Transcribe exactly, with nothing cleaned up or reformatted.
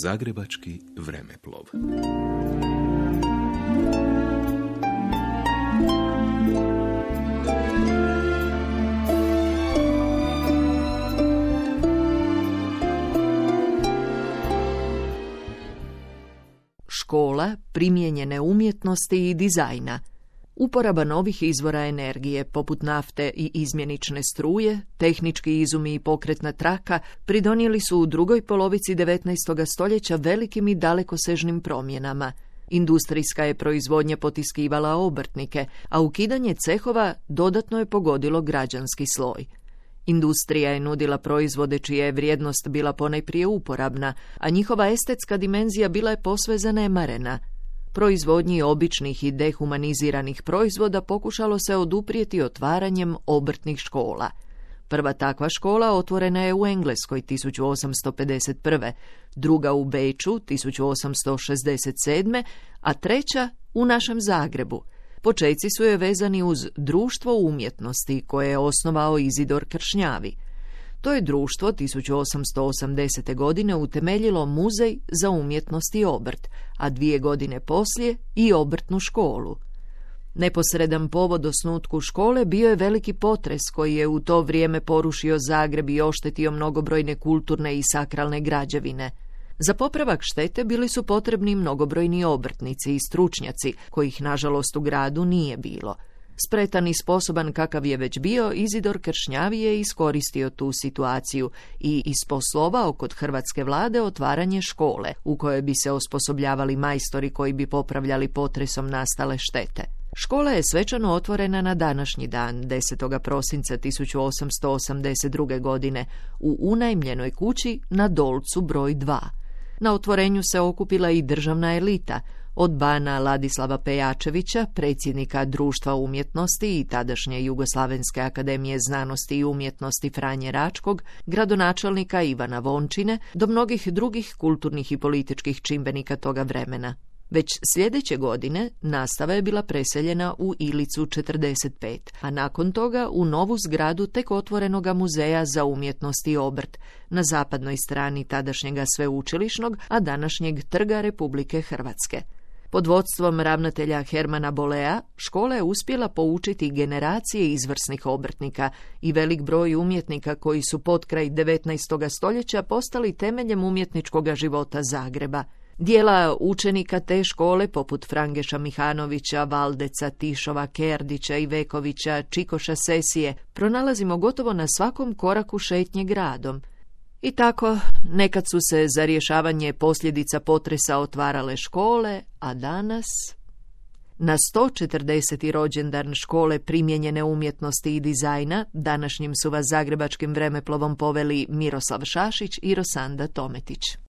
Zagrebački vremeplov. Škola primijenjene umjetnosti i dizajna. Uporaba novih izvora energije, poput nafte i izmjenične struje, tehnički izumi i pokretna traka, pridonijeli su u drugoj polovici devetnaestog stoljeća velikim i dalekosežnim promjenama. Industrijska je proizvodnja potiskivala obrtnike, a ukidanje cehova dodatno je pogodilo građanski sloj. Industrija je nudila proizvode čija je vrijednost bila ponajprije uporabna, a njihova estetska dimenzija bila je posve zanemarena. Proizvodnji običnih i dehumaniziranih proizvoda pokušalo se oduprijeti otvaranjem obrtnih škola. Prva takva škola otvorena je u Engleskoj tisuću osamsto pedeset prve, druga u Beču tisuću osamsto šezdeset sedme, a treća u našem Zagrebu. Počeci su je vezani uz Društvo umjetnosti koje je osnovao Izidor Kršnjavi. To je društvo tisuću osamsto osamdesete. godine utemeljilo Muzej za umjetnost i obrt, a dvije godine poslije i obrtnu školu. Neposredan povod osnutku škole bio je veliki potres koji je u to vrijeme porušio Zagreb i oštetio mnogobrojne kulturne i sakralne građevine. Za popravak štete bili su potrebni mnogobrojni obrtnici i stručnjaci, kojih nažalost u gradu nije bilo. Spretan i sposoban kakav je već bio, Izidor Kršnjavi je iskoristio tu situaciju i isposlovao kod hrvatske vlade otvaranje škole, u kojoj bi se osposobljavali majstori koji bi popravljali potresom nastale štete. Škola je svečano otvorena na današnji dan, desetog prosinca tisuću osamsto osamdeset druge. godine, u unajmljenoj kući na Dolcu broj dva. Na otvorenju se okupila i državna elita, od bana Ladislava Pejačevića, predsjednika Društva umjetnosti i tadašnje Jugoslavenske akademije znanosti i umjetnosti Franje Račkog, gradonačelnika Ivana Vončine, do mnogih drugih kulturnih i političkih čimbenika toga vremena. Već sljedeće godine nastava je bila preseljena u Ilicu četrdeset pet, a nakon toga u novu zgradu tek otvorenoga Muzeja za umjetnost i obrt, na zapadnoj strani tadašnjega sveučilišnog, a današnjeg Trga Republike Hrvatske. Pod vodstvom ravnatelja Hermana Bolea, škola je uspjela poučiti generacije izvrsnih obrtnika i velik broj umjetnika koji su potkraj devetnaestog stoljeća postali temeljem umjetničkog života Zagreba. Dijela učenika te škole, poput Frangeša Mihanovića, Valdeca, Tišova, Kerdića, Ivekovića, Čikoša Sesije, pronalazimo gotovo na svakom koraku šetnje gradom. I tako, nekad su se za rješavanje posljedica potresa otvarale škole, a danas... Na sto četrdeseti rođendan škole primijenjene umjetnosti i dizajna današnjim su vas zagrebačkim vremeplovom poveli Miroslav Šašić i Rosanda Tometić.